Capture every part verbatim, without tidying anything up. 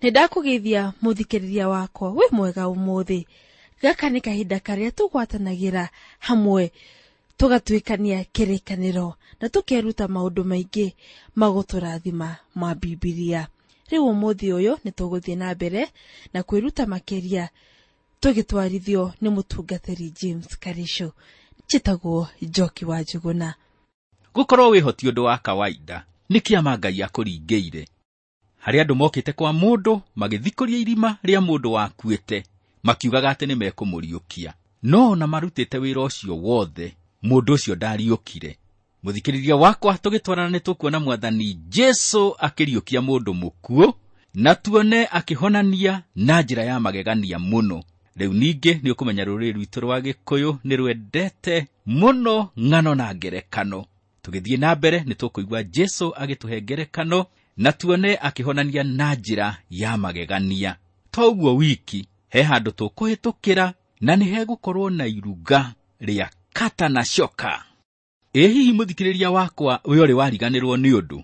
Nĩ ndakũgeithia mũthikĩrĩria wakwa wĩ mwega ũmũthĩ. Gaka nĩ kahinda karĩa tũgwatanagĩra hamwe tũgatuĩkania kĩrĩkanĩro na tũkeruta maũndũ maingĩ magũtũrathima ma Bibilia. Rĩu ũmũthĩ ũyũ nĩ tũgũthiĩ na mbere na kwĩruta makĩria tũgĩtwarithio nĩ mũtungatĩri James Karisho. Njĩtagwo Njoki wa Njuguna. Gũkorwo wĩho ti ũndũ wa kawaida, nĩ kĩama Ngai akũringĩire. Harĩ andũ mokĩte kwa mũndũ magĩthikũria irima rĩa mũndũ wakuĩte, makiugaga atĩ nĩmekũmũriũkia. No ona marutĩte wĩra ũcio wothe, mũndũ ũcio ndariũkire. Mũthikĩrĩria wakwa, tũgĩtwarana nĩ tũkuona Mwathani Jesũ akĩriũkia mũndũ mũkuũ, na tuone akĩhonania na njĩra ya magegania mũno. Rĩu ningĩ nĩ ũkũmenya rũrĩrĩ rwitũ rwa Gĩkũyũ nĩ rwendete mũno ng'ano na ngerekano. Tũgĩthiĩ na mbere nĩ tũkũigua Jesũ agĩtũhe ngerekano na tuone akĩhonania na njĩra ya magegania. To ũguo wiki, he handũ tũkũhĩtũkĩra na nĩ hegũkorwo na iruga rĩa kata na coka. Ĩ hihi mũthikĩrĩria wakwa we ũrĩ wariganĩrwo nĩ ũndũ?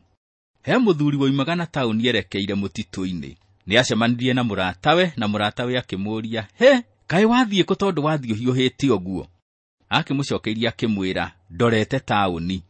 He mũthuri woimaga na taũni erekeire mũtitũ-inĩ. Nĩ acemanirie na mũratawe na mũratawe akĩmũũria, he, kaĩ wathiĩ kũ tondũ wathiĩ ũhiũhĩte ũguo? Akĩmũcokeirie akĩmwĩra, ndorete taũni.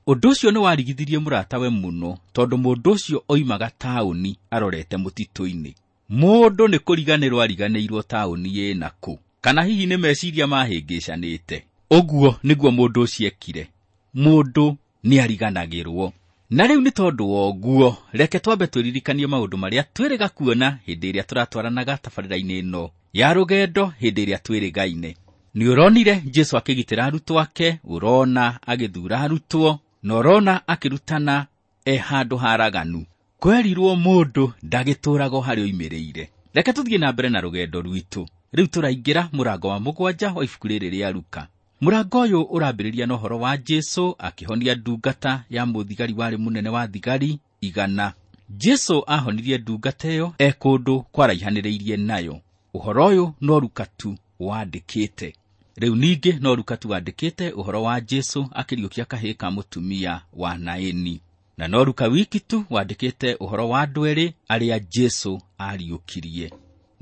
Ũndũ ũcio nĩ warigithirie mũratawe mũno tondũ mũndũ ũcio oimaga taũni arorete mũtitũ-inĩ. Mũndũ nĩ kũriganĩrwo ariganĩirwo taũni ĩna kũ, kana hihi nĩ meciria mahĩngĩcanĩte. Ũguo nĩguo mũndũ ũcio ekire. Mũndũ nĩ ariganagĩrwo. Na rĩu nĩ tondũ wa ũguo, reke twambe twĩririkanie maũndũ marĩa twĩrĩga kuona hĩndĩ ĩrĩa tũratwaranaga tabarĩra-inĩ ĩno ya rũgendo hĩndĩ ĩrĩa twĩrĩgaine. Nĩ ũronire Jesũ akĩgitĩra arutwo ake, ũrona agĩthuura arutwo, na ũrona akĩrutana e handũ haraganu. Kwerirwo mũndũ ndagĩtũũraga o harĩa oimĩrĩire. Reke tũthiĩ na mbere na rũgendo rwitũ. Rĩu tũraingĩra mũrango wa mũgwanja wa ibuku rĩrĩ rĩa Luka. Mũrango ũyũ ũrambĩrĩria na ũhoro wa Jesũ akĩhonia ndungata ya mũthigari warĩ mũnene wa thigari igana. Jesũ ahonirie ndungata ĩyo e kũndũ kwaraihanĩrĩirie nayo. Ũhoro ũyũ no Luka tu wandĩkĩte. Rĩu ningĩ no Luka tu wandĩkĩte ũhoro wa Jesũ akĩriũkia kahĩĩ ka mũtumia wa Naini. Na no Luka wiki tu wandĩkĩte ũhoro wa andũ erĩ arĩa Jesũ ariũkirie.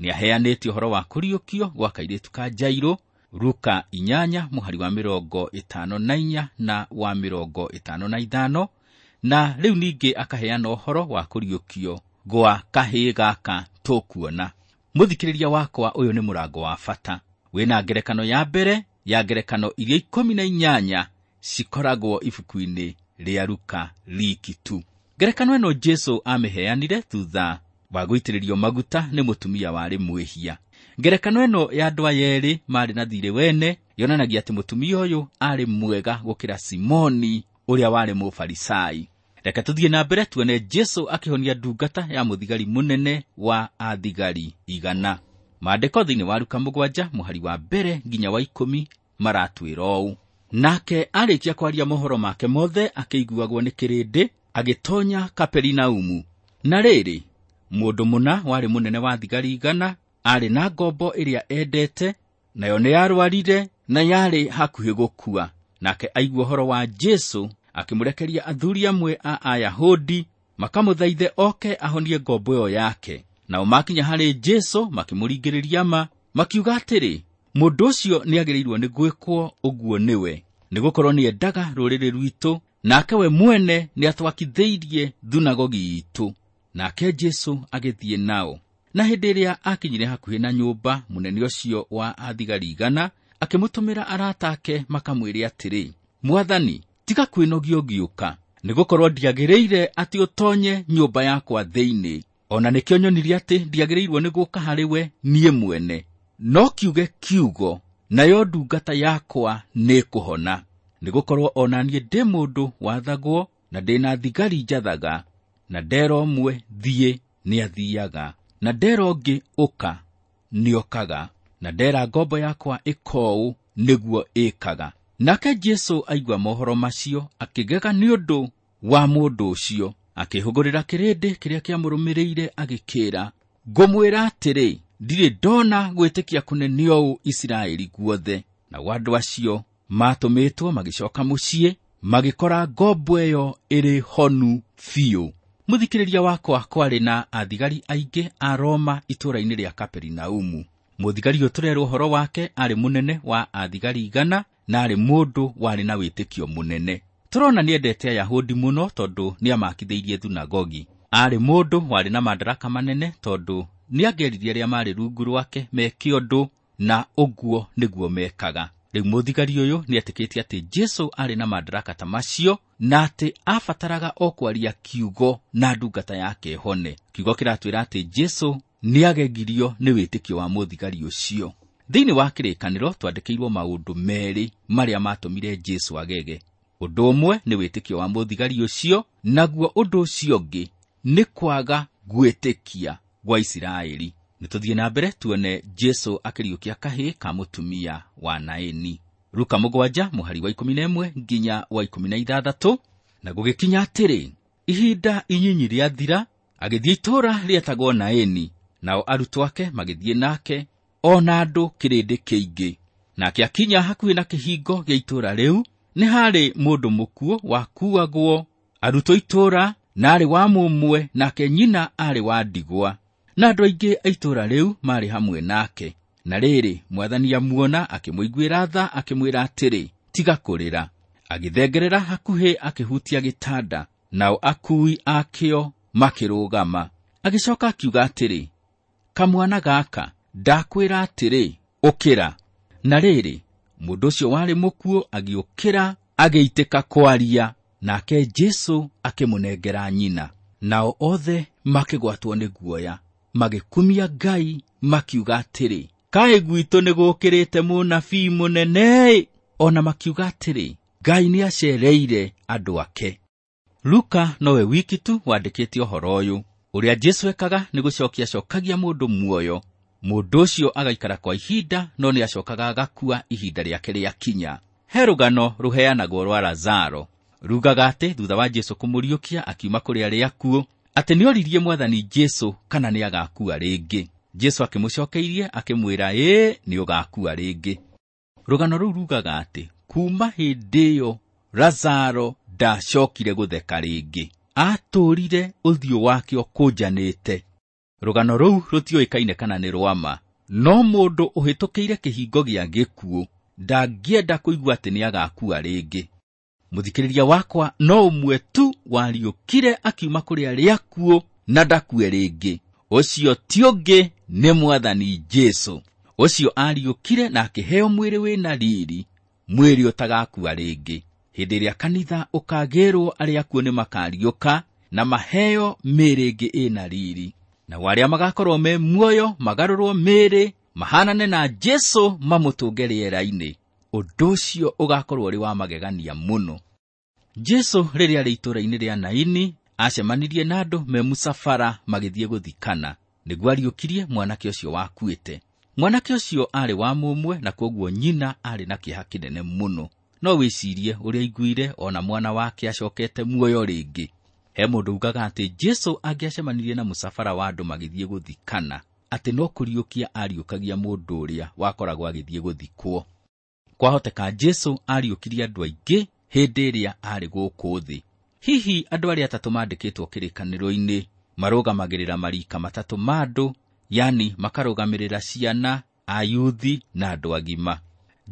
Nĩaheanĩte ũhoro wa kũriũkio gwa kairĩtu ka Jairũ, Luka inyanya mũhari wa mĩrongo ĩtano na inya na wa mĩrongo ĩtano na ithano, na rĩu ningĩ akaheana ũhoro wa kũriũkio gwa kahĩĩ gaka tũkuona. Mũthikĩrĩria wakwa, ũyũ nĩ mũrango wa bata. Wĩna ngerekano ya mbere ya ngerekano iria ikũmi na inyanya cikoragwo ibuku-inĩ rĩa Luka riki tu. Ngerekano ĩno Jesũ amĩheanire thutha wa gũitĩrĩrio maguta nĩ mũtumia warĩ mwĩhia. Ngerekano ĩno ya andũ aya erĩ marĩ na thiirĩ wene yonanagia atĩ mũtumia ũyũ arĩ mwega gũkĩra Simoni ũrĩa warĩ Mũfarisai. Reke tũthiĩ na mbere tuone Jesũ akĩhonia ndungata ya mũthigari mũnene wa athigari igana. Maandĩko thĩinĩ wa Luka mũgwanja mũhari wa mbere nginya wa ikũmi maratwĩra ũũ. Nake arĩkia kwaria mohoro make mothe akĩiguagwo nĩ kĩrĩndĩ, agĩtonya Kaperinaumu. Na rĩrĩ, mũndũ mũna warĩ mũnene wa thigari igana arĩ na ngombo ĩrĩa endete, nayo nĩ yarwarire na yarĩ hakuhĩ gũkua. Nake aigua ũhoro wa Jesũ akĩmũrekeria athuri amwe a Ayahudi makamũthaithe oke ahonie ngombo ĩyo yake. Nao makinya harĩ Jesũ makĩmũringĩrĩria ma, makiuga atĩrĩ, mũndũ ũcio nĩagĩrĩirwo nĩ gwĩkwo ũguo nĩwe, nĩgũkorwo nĩendaga rũrĩrĩ rwitũ, nake we mwene nĩatwakithĩirie thunagogi itũ. Nake Jesũ agĩthiĩ nao. Na hĩndĩ ĩrĩa akinyire hakuhĩ na nyũmba, mũnene ũcio wa athigari igana akĩmũtũmĩra arata ake makamwĩre atĩrĩ, Mwathani, tiga kwĩnogia ũgĩũka, nĩgũkorwo ndiagĩrĩire atĩ ũtonye nyũmba yakwa thĩinĩ. Ona nĩkĩo nyonirie atĩ ndiagĩrĩirwo nĩ gũka harĩ we niĩ mwene. No kiuge kiugo, nayo ndungata yakwa nĩĩkũhona. Nĩgũkorwo ona niĩ ndĩ mũndũ wathagwo, na ndĩ na thigari njathaga, na ndera ũmwe thiĩ nĩathiaga, na ndera ũngĩ ũka nĩokaga, na ndera ngombo yakwa ĩka ũũ nĩguo ĩkaga. Nake Jesũ aigua mohoro macio akĩgega nĩ ũndũ wa mũndũ ũcio, akĩhũgũrĩra kĩrĩndĩ kĩrĩa kĩamũrũmĩrĩire agĩkĩĩra, ngũmwĩra atĩrĩ, ndirĩ ndona gwĩtĩkia kũnene ũũ Isiraeli guothe. Nao andũ acio matũmĩtwo magĩcoka mũciĩ, magĩkora ngombo ĩyo ĩrĩ honu biũ. Mũthikĩrĩria wakwa, kwarĩ na athigari aingĩ a Roma itũũra-inĩ rĩa Kaperinaumu. Mũthigari ũyũ tũrerwo ũhoro wake arĩ mũnene wa athigari igana na arĩ mũndũ warĩ na wĩtĩkio mũnene. Tũrona nĩendete Ayahudi mũno tondũ nĩamakithĩirie thunagogi. Arĩ mũndũ warĩ na madaraka manene tondũ nĩangeririe arĩa marĩ rungu rwake meke ũndũ, na ũguo nĩguo mekaga. Rĩu mũthigari ũyũ nĩetĩkĩtie atĩ Jesũ arĩ na madaraka ta macio na atĩ abataraga o kwaria kiugo na ndungata yake ĩhone. Kiugo kĩratwĩra atĩ Jesũ nĩagegirio nĩ wĩtĩkio wa mũthigari ũcio. Thĩinĩ wa kĩrĩkanĩro twandĩkĩirwo maũndũ merĩ marĩa matũmire Jesũ agege. Ũndũ ũmwe nĩ wĩtĩkio wa mũthigari ũcio, naguo ũndũ ũcio ũngĩ nĩ kwaga gwĩtĩkia gwa Isiraeli. Nĩtũthiĩ na mbere tuone Jesũ akĩriũkia kahĩĩ ka mũtumia wa Naini. Luka mũgwanja mũhari wa ikũmi na ĩmwe nginya wa ikũmi na ithathatũ. Na gũgĩkinya atĩrĩ, ihinda inyinyi rĩathira, agĩthiĩ itũũra rĩetagwo Naini, nao arutwo ake magĩthiĩ nake, o na andũ kĩrĩndĩ kĩingĩ. Nake akinya hakuhĩ na kĩhingo gĩa itũũra rĩu, nĩ harĩ mũndũ mũkuũ wakuagwo arutwo itũũra, na arĩ wa mũmwe, nake nyina arĩ wa ndigwa. Na andũ aingĩ a itũũra rĩu marĩ hamwe nake. Na rĩrĩ, Mwathani amuona, akĩmũiguĩra tha, akĩmwĩra atĩrĩ, tiga kũrĩra. Agĩthengerera hakuhĩ, akĩhutia gĩtanda, nao akui akĩo makĩrũgama. Agĩcoka akiuga atĩrĩ, kamwana gaka, ndakwĩra atĩrĩ, ũkĩra. Na rĩrĩ, mũndũ ũcio warĩ mũkuũ agĩũkĩra, agĩitĩka kwaria, nake Jesũ akĩmũnengera nyina. Nao othe makĩgwatwo nĩ guoya, magĩkumia Ngai, makiuga atĩrĩ, kaĩ gwitũ nĩgũkĩrĩte mũnabii mũnene. O na makiuga atĩrĩ, Ngai nĩacereire andũ ake. Luka nowe wiki tu wandĩkĩte ũhoro ũyũ. Ũrĩa Jesũ ekaga nĩ gũcokia acokagia mũndũ muoyo. Mũndũ ũcio agaikara kwa ihinda, no nĩacokaga agakua ihinda rĩake rĩakinya. He rũgano rũheanagwo rwa Lazaro. Rugaga atĩ thutha wa Jesũ kũmũriũkia akiuma kũrĩ arĩa akuũ, atĩ nĩoririe Mwathani Jesũ kana nĩagakua rĩngĩ. Jesũ akĩmũcokeirie akĩmwĩra, ĩĩ, nĩũgakua rĩngĩ. Rũgano rũu rugaga atĩ kuma hĩndĩ ĩyo Lazaro ndacokire gũtheka rĩngĩ, atũũrire ũthiũ wake ũkũnjanĩte. Rũgano rũu rũtiũĩkaine kana nĩ rwa ma, no mũndũ ũhĩtũkĩire kĩhingo gĩa gĩkuũ ndangĩenda kũigua atĩ nĩagakua rĩngĩ. Mũthikĩrĩria wakwa, no ũmwe tu wariũkire akiuma kũrĩ arĩa akuũ na ndakue rĩngĩ. Ũcio ti ũngĩ nĩ Mwathani Jesũ. Ũcio ariũkire na akĩheo mwĩrĩ wĩna riri, mwĩrĩ ũtagakua rĩngĩ. Hĩndĩ ĩrĩa kanitha ũkagĩrwo, arĩa akuũ nĩmakariũka na maheo mĩĩrĩ ĩngĩ ĩna riri. Nao arĩa magakorwo me muoyo magarũrwo mĩĩrĩ mahanane na Jesũ mamũtũnge rĩera-inĩ. Ũndũ ũcio ũgakorwo ũrĩ wa magegania mũno. Jesũ rĩrĩa arĩ itũũra-inĩ rĩa Naini acemanirie na andũ me mũcabara magĩthiĩ gũthikana, nĩguo ariũkirie mwanake ũcio wakuĩte. Mwanake ũcio arĩ wa mũmwe na kwoguo nyina arĩ na kĩeha kĩnene mũno. No wĩcirie ũrĩa aiguire ona mwana wake acokete muoyo rĩngĩ. He mũndũ ugaga atĩ Jesũ angĩacemanirie na mũcabara wa andũ magĩthiĩ gũthikana, atĩ no kũriũkia ariũkagia mũndũ ũrĩa wakoragwo agĩthiĩ gũthikwo. Kwahoteka Jesũ ariũkirie andũ aingĩ hĩndĩ ĩrĩa arĩ gũkũ thĩ. Hihi andũ arĩa atatũ mandĩkĩtwo kĩrĩkanĩro-inĩ marũgamagĩrĩra marika matatũ ma andũ, yani makarũgamĩrĩra ciana, ayuthi na andũ agima.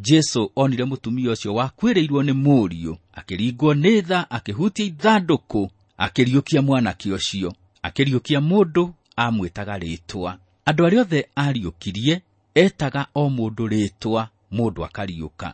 Jesũ onire mũtumia ũcio wakuĩrĩirwo nĩ mũriũ, akĩringwo nĩ tha, akĩhutia ithandũkũ, akĩriũkia mwanake ũcio, akĩriũkia mũndũ amwĩtaga rĩtwa. Andũ arĩa othe ariũkirie etaga o mũndũ rĩtwa, mũndũ akariũka.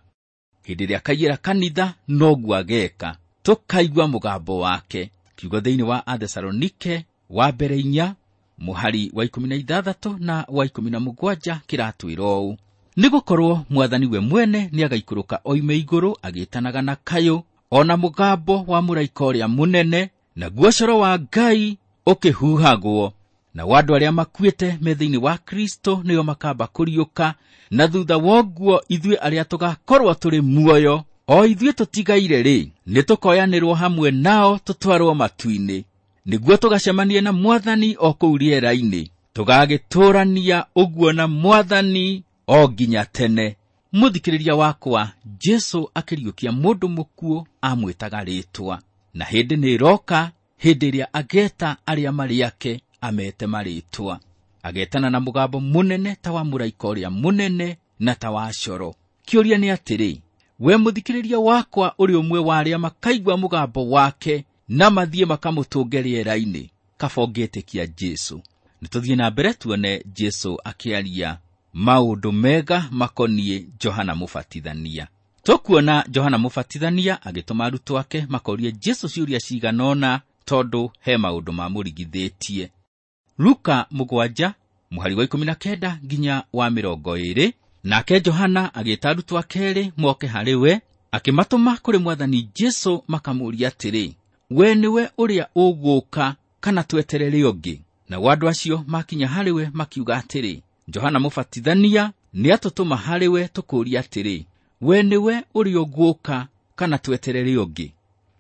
Hĩndĩ ĩrĩa akaiyĩra kanitha noguo ageka, tũkaigua mũgambo wake. Kiugo thĩinĩ wa Athesalonike wa mbere inya mũhari wa ikũmi na ithathatũ na wa ikũmi na mũgwanja kĩratwĩra ũũ: nĩgũkorwo Mwathani we mwene nĩagaikũrũka oime igũrũ agĩtanaga na kayũ, o na mũgambo wa mũraika ũrĩa mũnene, naguo coro wa Ngai ũkĩhuhagwo. Nao andũ arĩa makuĩte me thĩinĩ wa Kristo nĩo makamba kũriũka, na thutha wa ũguo ithuĩ arĩa tũgakorwo tũrĩ muoyo, o ithuĩ tũtigaire rĩ, nĩtũkoyanĩrwo hamwe nao tũtwarwo matu-inĩ, nĩguo tũgacemanie na Mwathani o kũu rĩera-inĩ, tũgagĩtũũrania ũguo na Mwathani o nginya tene. Mũthikĩrĩria wakwa, Jesũ akĩriũkia mũndũ mũkuũ amwĩtaga rĩtwa, na hĩndĩ nĩĩroka Hĩndĩ ĩrĩa ageta arĩa marĩ ake amete marĩtwa. Agetana na mũgambo mũnene ta wa mũraika ũrĩa mũnene na ta wa coro. Kĩũria nĩ atĩrĩ, we mũthikĩrĩria wakwa ũrĩ ũmwe wa arĩa makaigua mũgambo wake na mathiĩ makamũtũnge rĩera-inĩ? Kaba ũngĩtĩkia Jesũ. Nĩtũthiĩ na mbere tuone Jesũ akĩaria maũndũ mega makoniĩ Johana Mũbatithania. Tũkuona Johana Mũbatithania agĩtũma arutwo ake makorie Jesũ ciũria cigana ũna tondũ he maũndũ mamũrigithĩtie. Luka mũgwanja mũhari wa ikũmi na kenda nginya wa mĩrongo ĩĩrĩ. Nake Johana agĩĩta arutwo ake erĩ moke harĩ we, akĩmatũma kũrĩ Mwathani Jesũ makamũũria atĩrĩ, we nĩwe ũrĩa ũgũũka kana tweterere ũngĩ? Nao andũ acio makinya harĩ we makiuga atĩrĩ, Johana Mũbatithania nĩatũtũma harĩ we tũkũũria atĩrĩ, we nĩwe ũrĩa ũgũũka kana tweterere ũngĩ?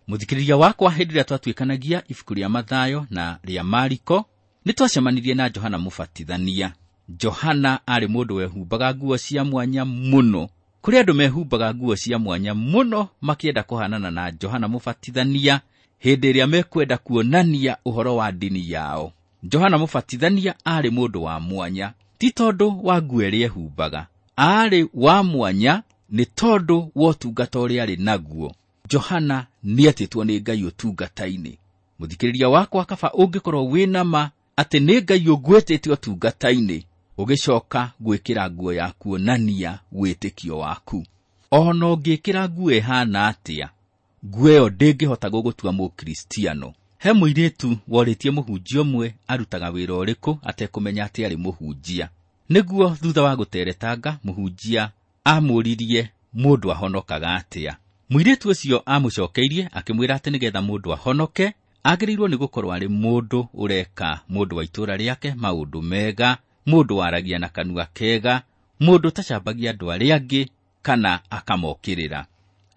Mũthikĩrĩria wakwa, hĩndĩ ĩrĩa twatuĩkanagia ibuku rĩa Mathayo na rĩa Mariko, nĩtwacemanirie na Johana Mũbatithania. Johana aarĩ mũndũ wehumbaga nguo cia mwanya mũno. Kũrĩ andũ mehumbaga nguo cia mwanya mũno makĩenda kũhanana na Johana Mũbatithania hĩndĩ ĩrĩa mekwenda kuonania ũhoro wa ndini yao. Johana Mũbatithania aarĩ mũndũ wa mwanya, ti tondũ wa nguo ĩrĩa ehumbaga, aarĩ wa mwanya nĩ tondũ wa ũtungata ũrĩa arĩ naguo. Johana nĩetĩtwo nĩ Ngai ũtungata-inĩ. Mũthikĩrĩria wakwa, kaba ũngĩkorwo wĩna ma atĩ nĩ Ngai ũgwĩtĩte ũtungata-inĩ, ũgĩcoka gwĩkĩra nguo ya kuonania wĩtĩkio waku. Ona ũngĩkĩra nguo ĩhana atĩa, nguo ĩyo ndĩngĩhota gũgũtua mũkristiano. He mũirĩtu worĩtie mũhunjia ũmwe arutaga wĩra ũrĩkũ atekũmenya atĩ arĩ mũhunjia. Nĩguo thutha wa gũteretanga, mũhunjia amũririe mũndũ ahonokaga atĩa. Mũirĩtu ũcio amũcokeirie akĩmwĩra atĩ nĩgetha mũndũ ahonoke agĩrĩirwo nĩ gũkorwo arĩ mũndũ ũreka mũndũ wa itũũra rĩake maũndũ mega, mũndũ waragia na kanua kega, mũndũ ũtacambagia andũ arĩa angĩ kana akamokĩrĩra.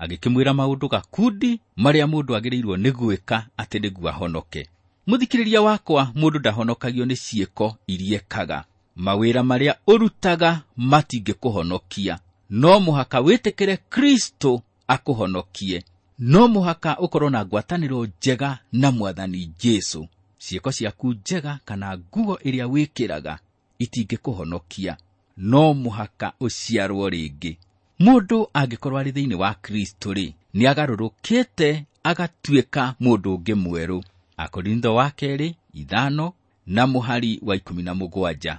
Agĩkĩmwĩra maũndũ gakundi marĩa mũndũ agĩrĩirwo nĩ gwĩka atĩ nĩguo ahonoke. Mũthikĩrĩria wakwa, mũndũ ndahonokagio nĩ ciĩko iria ekaga. Mawĩra marĩa ũrutaga matingĩkũhonokia. No mũhaka wĩtĩkĩre Kristo akũhonokie. No mũhaka ũkorwo na ngwatanĩro njega na Mwathani Jesũ. Ciĩko ciaku njega kana nguo ĩrĩa wĩkĩraga itingĩkũhonokia. No mũhaka ũciarwo rĩngĩ. Mũndũ angĩkorwo arĩ thĩinĩ wa Kristo rĩ, nĩagarũrũkĩte agatuĩka mũndũ ũngĩ mwerũ. Akorintho wa kerĩ ithano na mũhari wa ikũmi na mũgwanja.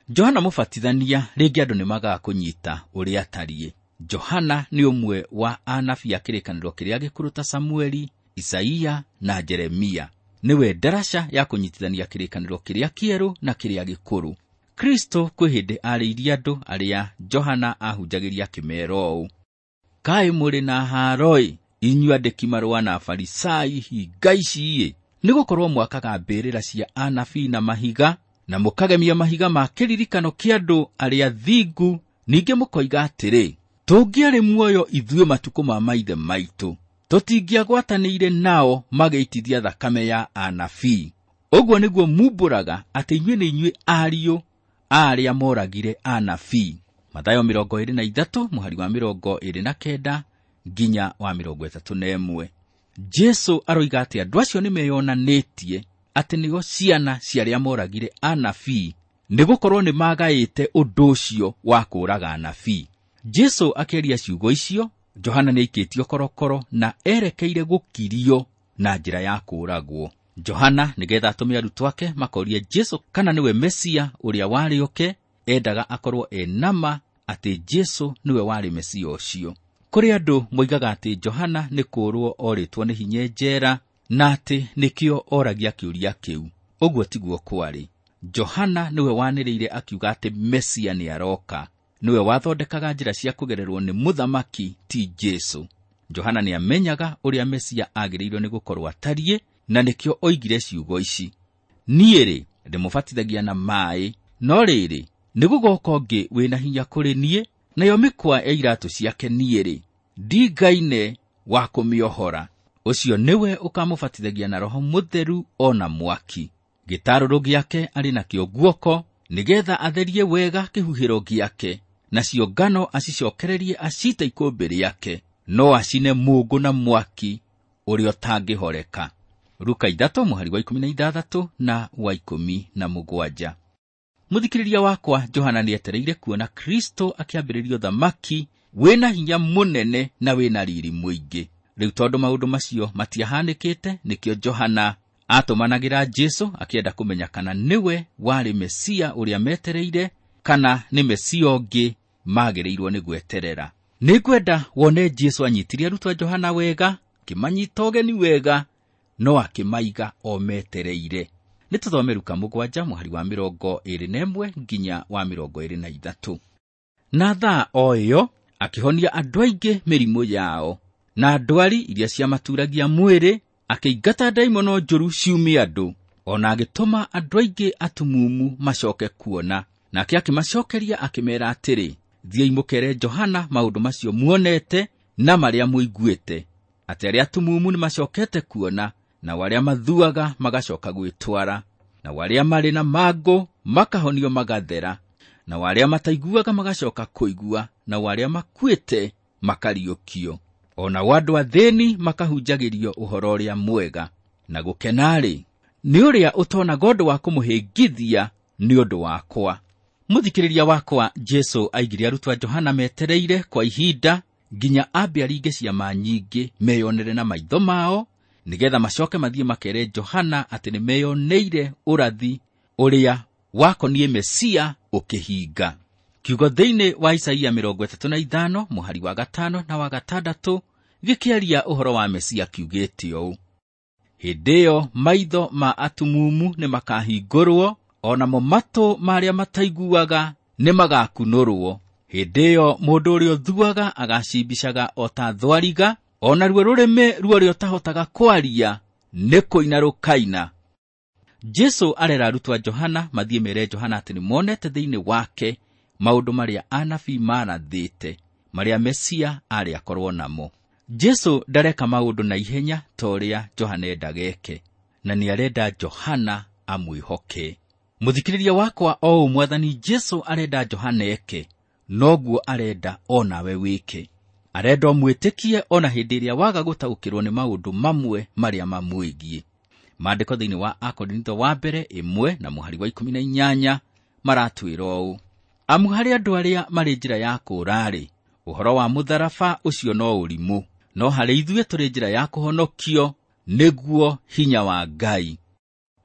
Johana Mũbatithania rĩngĩ andũ nĩmagaga kũnyita ũrĩa atariĩ. Johana nĩ ũmwe wa anabii a kĩrĩkanĩro kĩrĩa gĩkũrũ ta Samueli, Isaia na Jeremia. Nĩwe ndaraca ya kũnyitithania kĩrĩkanĩro kĩrĩa kĩerũ na kĩrĩa gĩkũrũ. Kristo kwĩ hĩndĩ arĩirie andũ arĩa Johana ahunjagĩria akĩmeera ũũ, kaĩ mũrĩ na haaro-ĩ, inyuĩ andĩki marũa na Afarisai, hinga ici-ĩ, nĩgũkorwo mwakaga mbĩrĩra cia anabii na mahiga, na mũkagemia mahiga ma kĩririkano kĩa andũ arĩa thingu, ningĩ mũkoiga atĩrĩ, tũngĩarĩ muoyo ithuĩ matukũ ma maithe maitũ, tũtingĩagwatanĩire nao magĩitithia thakame ya anabii. Ũguo nĩguo mumbũraga atĩ inyuĩ nĩ inyuĩ ariũ a arĩa moragire anabii. Mathayo mĩrongo ĩĩrĩ na ithatũ mũhari wa mĩrongo ĩĩrĩ na kenda nginya wa mĩrongo ĩtatũ na ĩmwe. Jesũ aroiga atĩ andũ acio nĩmeyonanĩtie atĩ nĩo ciana cia arĩa moragire anabii, nĩgũkorwo nĩmagaĩte ũndũ ũcio wa kũũraga anabii. Jesũ akĩaria ciugo icio, Johana nĩaikĩtio korokoro na erekeire gũkirio na njĩra ya kũũragwo. Johana nĩgetha atũme arutwo ake makorie Jesũ kana nĩwe Mesia ũrĩa warĩ oke, endaga akorwo e nama atĩ Jesũ nĩwe warĩ Mesia ũcio. Kũrĩ andũ moigaga atĩ Johana nĩ kũũrwo orĩtwo nĩ hinya njera na atĩ nĩkĩo oragia kĩũria kĩu. Ũguo tiguo kwarĩ. Johana nĩwe wanĩrĩire akiuga atĩ Mesia nĩaroka. Nĩwe wathondekaga njĩra cia kũgererwo nĩ mũthamaki ti Jesũ. Johana nĩamenyaga ũrĩa Mesia agĩrĩirwo nĩ gũkorwo atariĩ, na nĩkĩo oigire ciugo ici, niĩ-rĩ ndĩmũbatithagia na maaĩ, no rĩrĩ nĩgũgoka ũngĩ wĩna hinya kũrĩ niĩ, nayo mĩkwa ya iratũ ciake niĩ-rĩ ndingaine wa kũmĩohora. Ũcio nĩwe ũkamũbatithagia na Roho Mũtheru o na mwaki. Gĩtarũrũ gĩake arĩ nakĩo guoko, nĩgetha atherie wega kĩhuhĩro gĩake, nacio ngano acicokererie acite ikũmbĩ rĩake, no acine mũũngũ na mwaki ũrĩa ũtangĩhoreka. Luka ithatũ mũhari wa ikũmi na ithathatũ na wa ikũmi na mũgwanja. Mũthikĩrĩria wakwa, Johana nĩetereire kuona Kristo akĩambĩrĩria ũthamaki wĩna hinya mũnene na wĩna riri mũingĩ. Rĩu tondũ maũndũ macio matiahanĩkĩte, nĩkĩo Johana atũmanagĩra Jesu akĩenda kũmenya kana nĩwe warĩ Mesia ũrĩa metereire kana nĩ Mesia ũngĩ magĩrĩirwo nĩ gweterera. Nĩngwenda wone Jesu anyitirie arutwo a Johana wega, akĩmanyita ũgeni wega, no akĩmaiga o metereire. Nĩ tũthome Luka mũgwanja mũhari wa mĩrongo ĩrĩ na ĩmwe nginya wa mĩrongo ĩrĩ na ithatũ. Na thaa o ĩyo akĩhonia andũ aingĩ mĩrimũ yao na ndwari iria ciamaturagia mwĩrĩ, akĩingata ndaimono njũru ciumie andũ, ona agĩtũma andũ aingĩ atumumu macoke kuona. Nake akĩmacokeria akĩmeera atĩrĩ, thiĩi mũkere Johana maũndũ macio muonete na marĩa mũiguĩte, atĩ arĩa atumumu nĩmacokete kuona, na arĩa mathuaga magacoka gwĩtwara, na arĩa marĩ na mangũ makahonio magathera, na arĩa mataiguaga magacoka kũigua, na arĩa makuĩte makariũkio, o nao andũ athĩni makahunjagĩrio ũhoro ũrĩa mwega. Na gũkena-rĩ, nĩ ũrĩa ũtonaga ũndũ wa kũmũhĩngithia nĩ ũndũ wakwa. Mũthikĩrĩria wakwa, Jesu aigire arutwo a Johana metereire kwa ihinda nginya ambe aringe ciama nyingĩ meyonere na maitho mao, nĩgetha macoke mathiĩ makere Johana atĩ nĩmeyoneire ũrathi ũrĩa wakoniĩ Mesia ũkĩhinga. Kiugo thĩinĩ wa Isaia mĩrongo ĩtatũ na ithano mũhari wa gatano na wa gatandatũ gĩkĩaria ũhoro wa Mesia kiugĩte ũũ: hĩndĩ ĩyo maitho ma atumumu nĩmakahingũrwo, o namo matũ ma arĩa mataiguaga nĩmagakunũrwo. Hĩndĩ ĩyo mũndũ ũrĩa ũthuaga agacimbicaga o ta thwariga, o naruo rũrĩmĩ rwa ũrĩa ũtahotaga kwaria nĩ kũina rũkaina. Jesu arera arutwo a Johana mathiĩ mere Johana atĩ nĩmonete thĩinĩ wake maũndũ marĩa anabii marathĩte, marĩa Mesia arĩ akorwo namo. Jesu ndareka maũndũ na ihenya ta ũrĩa Johana endaga eke, na nĩarenda Johana amwĩhoke. Mũthikĩrĩria wakwa, o ũũ Mwathani Jesu arenda Johana eke, noguo arenda o nawe wĩke. Arenda ũmwĩtĩkie o na hĩndĩ ĩrĩa waga gũtaũkĩrwo nĩ maũndũ mamwe marĩa mamwĩgiĩ. Maandĩko thĩinĩ wa Akorintho wa mbere ĩmwe na mũhari wa ikũmi na inyanya maratwĩra ũũ: amu harĩ andũ arĩa marĩ njĩra ya kũũra-rĩ, ũhoro wa mũtharaba ũcio no ũrimũ, no harĩ ithuĩ tũrĩ njĩra ya kũhonokio, nĩguo hinya wa Ngai.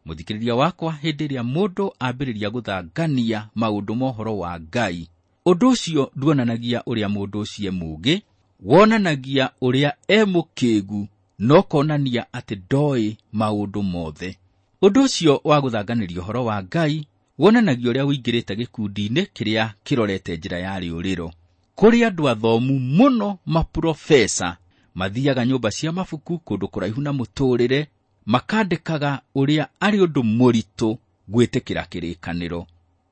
Mũthikĩrĩria wakwa, hĩndĩ ĩrĩa mũndũ ambĩrĩria gũthangania maũndũ ma ũhoro wa Ngai, ũndũ ũcio nduonanagia ũrĩa mũndũ ũcio e mũũgĩ, wonanagia ũrĩa e mũkĩĩgu, no konania atĩ ndoĩ maũndũ mothe. Ũndũ ũcio wa gũthanganĩria ũhoro wa Ngai wonanagia ũrĩa ũingĩrĩte gĩkundi-inĩ kĩrĩa kĩrorete njĩra ya rĩũrĩro. Kũrĩ andũ athomu mũno maprofesa mathiaga nyũmba cia mabuku kũndũ kũraihu na mũtũrĩre, makandĩkaga ũrĩa arĩ ũndũ mũritũ gwĩtĩkĩra kĩrĩkanĩro,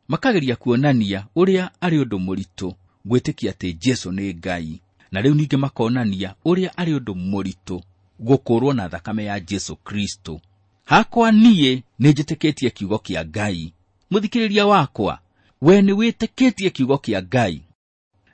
makageria kuonania ũrĩa arĩ ũndũ mũritũ gwĩtĩkia atĩ Jesu nĩ Ngai, na rĩu ningĩ makonania ũrĩa arĩ ũndũ mũritũ gũkũrwo na thakame ya Jesu Kristo. Hakwa niĩ nĩnjĩtĩkĩtie kiugo kĩa Ngai. Mũthikĩrĩria wakwa, we nĩwĩtĩkĩtie kiugo kĩa Ngai?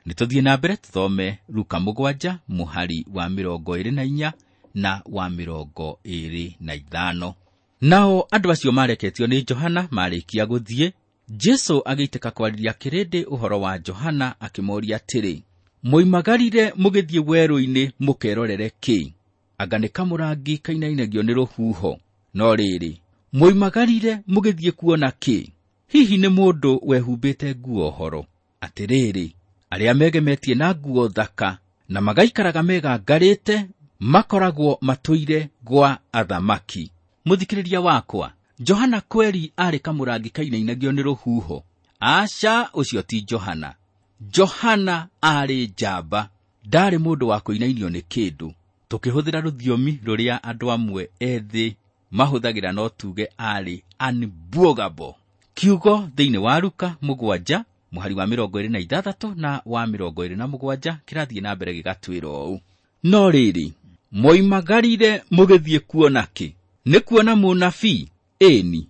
Nĩtũthiĩ na mbere tũthome Luka mũgwanja mũhari wa mĩrongo ĩrĩ na inya na wa mĩrongo ĩrĩ na ithano. Nao andũ acio mareketio nĩ Johana marĩkia gũthiĩ, Jesu agĩitĩka kwarĩria kĩrĩndĩ ũhoro wa Johana akĩmoria atĩrĩ, moimagarire mũgĩthiĩ werũ-inĩ mũkerorere kĩ? Anga nĩ kamũrangi kainainagio nĩ rũhuho? No rĩrĩ, moimagarire mũgĩthiĩ kuona kĩ? Hihi nĩ mũndũ wehumbĩte nguo horo? Atĩrĩrĩ, arĩa megemetie na nguo thaka na magaikaraga megangarĩte makoragwo matũire gwa athamaki. Mũthikĩrĩria wakwa, Johana kweri arĩ kamũrangi kainainagio nĩ rũhuho? Aca, ũcio ti Johana. Johana arĩ njamba, ndarĩ mũndũ wa kũinainio nĩ kĩndũ. Tũkĩhũthĩra rũthiomi rũrĩa andũ amwe ethĩ mahũthagĩra no tuge arĩ unbwogable. Kiugo thĩinĩ wa Luka mũgwanja mũhari wa mĩrongo ĩrĩ na ithathatũ na wa mĩrongo ĩrĩ na mũgwanja kĩrathiĩ na mbere gĩgatwĩra ũũ: no rĩrĩ, moimagarire mũgĩthiĩ kuona kĩ? Nĩ kuona mũnabii? Ĩni,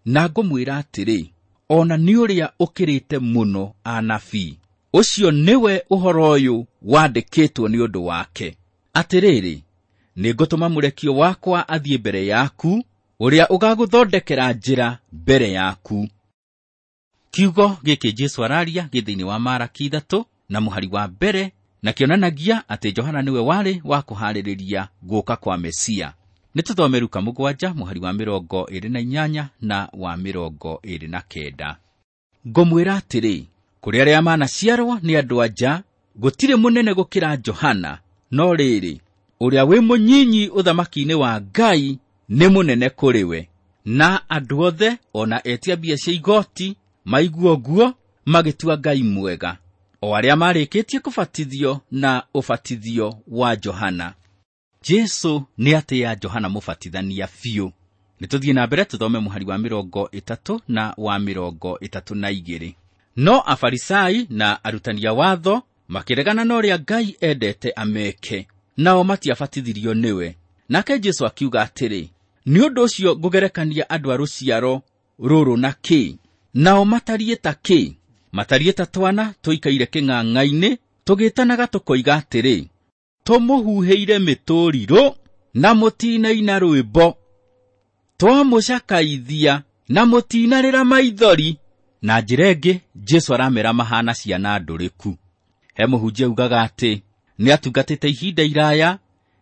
na ngũmwĩra atĩrĩ, ona nĩ ũrĩa ũkĩrĩte mũno anabii. Ũcio nĩwe ũhoro ũyũ wandĩkĩtwo nĩ ũndũ wake. Atĩrĩrĩ, Nĩngũtũma mũrekio wakwa athiĩ mbere yaku, ũrĩa ũgagũthondekera njĩra mbere yaku. Kiugo gĩkĩ Jesũ araria gĩ thĩinĩ wa Maraki ithatũ na mũhari wa mbere, na kĩonanagia atĩ Johana nĩwe warĩ wa kũharĩrĩria gũka kwa Mesia. Nĩtũthome Luka mũgwanja mũhari wa mĩrongo ĩrĩ na inyanya na wa mĩrongo ĩrĩ na kenda. Ngũmwĩra atĩrĩ, kũrĩ arĩa manaciarwo nĩ andũ anja, gũtirĩ mũnene gũkĩra Johana, no rĩrĩ, ũrĩa wĩ mũnyinyi ũthamaki-inĩ wa Ngai nĩ mũnene kũrĩ we. Na andũ othe ona etia mbia cia igoti maigua ũguo magĩtua Ngai mwega, o arĩa marĩkĩtie kũbatithio na ũbatithio wa Johana. Jesũ nĩatĩĩa Johana mũbatithania biũ. Nĩtũthiĩ na mbere tũthome mũhari wa mĩrongo ĩtatũ na wa mĩrongo ĩtatũ na igĩrĩ. No Afarisai na arutani a watho makĩregana na ũrĩa Ngai endete ameke, nao matiabatithirio nĩwe. Nake Jesũ akiuga atĩrĩ, nĩ ũndũ ũcio ngũgerekania andũ a rũciaro rũrũ na kĩ? Nao matariĩ ta kĩ? Matariĩ ta twana tũikaire kĩng'ang'a-inĩ, tũgĩtanaga tũkoiga atĩrĩ, tũmũhuhĩire mĩtũrirũ na mũtinaina rwĩmbo, twamũcakaithia na mũtinarĩra maithori. Na njĩra ĩngĩ Jesũ aramera mahana ciana ndũrĩku. He mũhunjia ugaga atĩ nĩatungatĩte ihinda iraya,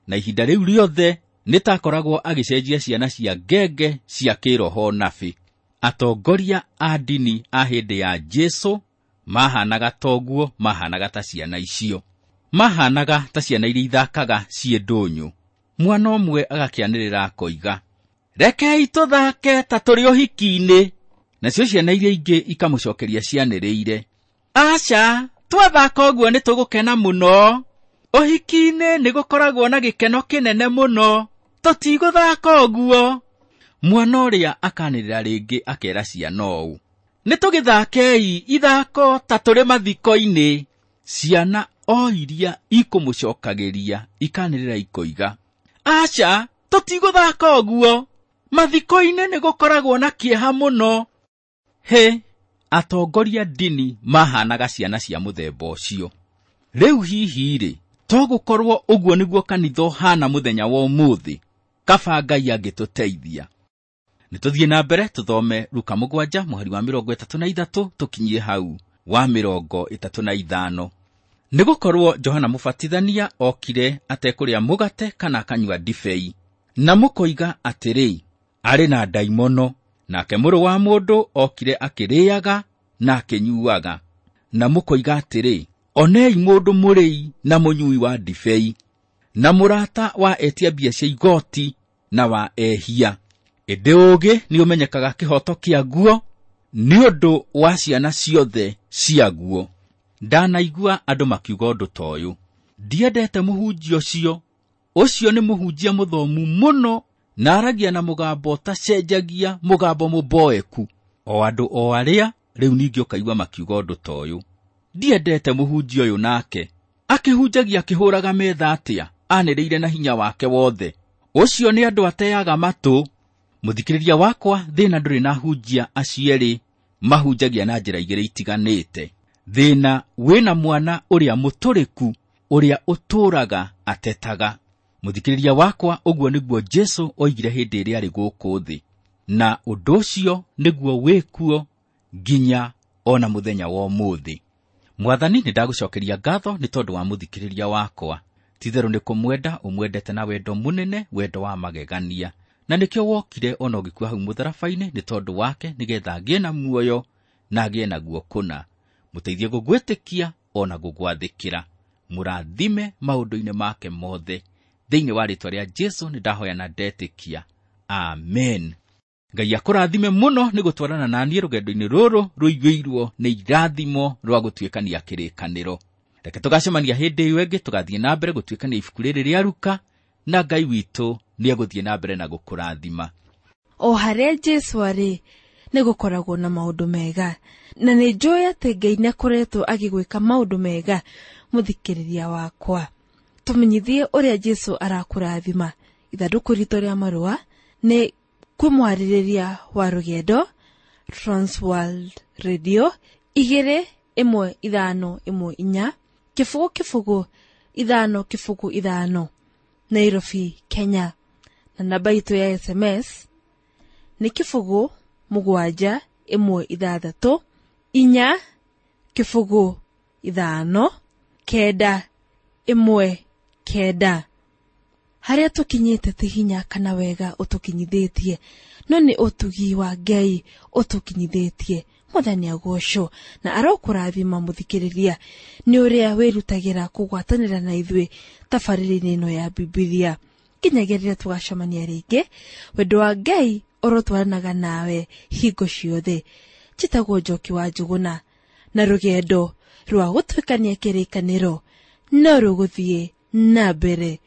na ihinda rĩu rĩothe nĩtakoragwo agĩcenjia ciana cia ngenge cia kĩroho nabi. Atongoria a ndini a hĩndĩ ya Jesũ mahanaga toguo, mahanaga ta ciana icio, mahanaga ta ciana iria ithakaga ciĩ ndũnyũ. Mwana ũmwe agakĩanĩrĩra akoiga, rekei tũthake ta tũrĩ ũhiki-inĩ. Nacio ciana iria ingĩ ikamũcokeria cianĩrĩire, aca, twathaka ũguo nĩtũgũkena mũno, ũhiki-inĩ nĩgũkoragwo na gĩkeno kĩnene mũno, tũtigũthaka ũguo. Mwana ũrĩa akanĩrĩra rĩngĩ akera ciana ũũ, nĩtũgĩthakei ithako ta tũrĩ mathiko-inĩ. Ciana o iria ikũmũcokagĩria ikanĩrĩra ikoiga, aca, tũtigũthaka ũguo, mathiko-inĩ nĩgũkoragwo na kĩeha mũno. He, atongoria ndini mahanaga ciana cia mũthemba ũcio. Rĩu hihi-rĩ, to gũkorwo ũguo nĩguo kanitha ũhana mũthenya wa ũmũthĩ? Kaba Ngai angĩtũteithia. Nĩtũthiĩ na mbere tũthome Luka mũgwanja mũhari wa mĩrongo ĩtatũ na ithatũ tũkinyie hau wa mĩrongo ĩtatũ na ithano. Nĩgũkorwo Johana Mũbatithania okire atekũrĩa mũgate kana akanyua ndibei, na mũkoiga atĩrĩ, arĩ na ndaimono. Nake mũrũ wa mũndũ okire akĩrĩaga na akĩnyuaga, na mũkoiga atĩrĩ, onei mũndũ mũrĩi na mũnyui wa ndibei, na mũrata wa etia mbia cia igoti na wa ehia. Ĩndĩ ũũgĩ nĩũmenyekaga kĩhoto kĩaguo nĩ ũndũ wa ciana ciothe ciaguo. Ndanaigua andũ makiuga ũndũ ta ũyũ, ndiendete mũhunjia ũcio, ũcio nĩ mũhunjia mũthomu mũno na aragia na mũgambo ũtacenjagia, mũgambo mũboeku. O andũ o arĩa rĩu ningĩ ũkaigua makiuga ũndũ ta ũyũ, ndiendete mũhunjia ũyũ nake, akĩhunjagia akĩhũraga metha atĩa, anĩrĩire na hinya wake wothe, ũcio nĩ andũ ateaga matũ. Mũthikĩrĩria wakwa, thĩna ndũrĩ na hunjia acio erĩ mahunjagia na njĩra igĩrĩ itiganĩte. Thĩna wĩna mwana ũrĩa mũtũrĩku, ũrĩa ũtũraga atetaga. Mũthikĩrĩria wakwa, ũguo nĩguo Jesũ oigire hĩndĩ ĩrĩa arĩ gũkũ thĩ, na ũndũ ũcio nĩguo wĩkuo nginya ona mũthenya wa ũmũthĩ. Mwathani, nĩndagũcokeria ngatho nĩ tondũ wa mũthikĩrĩria wakwa. Ti-itherũ nĩ kũmwenda ũmwendete na wendo mũnene, wendo wa magegania, na nĩkĩo wokire ona ũgĩkua hau mũtharaba-inĩ nĩ tondũ wake, nĩgetha agĩe na muoyo na agĩe naguo kũna. Mũteithie gũgwĩtĩkia ona gũgwathĩkĩra. Mũrathime maũndũ-inĩ make mothe. Thĩinĩ wa rĩĩtwa rĩa Jesũ nĩndahoya na ndetĩkia. Amen. Ngai akũrathime mũno nĩ gũtwarana na niĩ rũgendo-inĩ rũrũ rũiyũirwo nĩ irathimo rwa gũtuĩkania kĩrĩkanĩro. Reke tũgacemania hĩndĩ ĩyo ĩngĩ, tũgathiĩ na mbere gũtuĩkania ibuku rĩrĩ rĩa Luka, na Ngai witũ nĩegũthiĩ na mbere na gũkũrathima. O harĩa Jesũ arĩ nĩgũkoragwo na maũndũ mega, na nĩ njũĩ atĩ Ngai nĩakoretwo agĩgwĩka maũndũ mega. Mũthikĩrĩria wakwa, tũmenyithie ũrĩa Jesũ arakũrathima. Ithandũkũ ritũ rĩa marũa nĩ kwĩ mwarĩrĩria wa rũgendo, Transworld Radio igĩrĩ ĩmwe ithano ĩmwe inya kĩbũgũ kĩbũgũ ithano kĩbũgũ ithano, Nairobi, Kenya. Na namba itũ ya S M S nĩ kĩbũgũ mũgwanja ĩmwe ithathatũ inya kĩbũgũ ithano kenda ĩmwe kenda. Harĩa tũkinyĩte ti hinya kana wega ũtũkinyithĩtie, no nĩ ũtugi wa Ngai ũtũkinyithĩtie. Mwathani agocwo na arokũrathima mũthikĩrĩria nĩ ũrĩa wĩrutagĩra kũgwatanĩra na ithuĩ tabarĩra-inĩ ĩno ya Bibilia. Nginyagia rĩrĩa tũgacemania rĩngĩ, wendo wa Ngai ũrotwaranaga nawe hingo ciothe. Njĩtagwo Njoki wa Njũgũna, na rũgendo rwa gũtuĩkania kĩrĩkanĩro no rũgũthiĩ na mbere.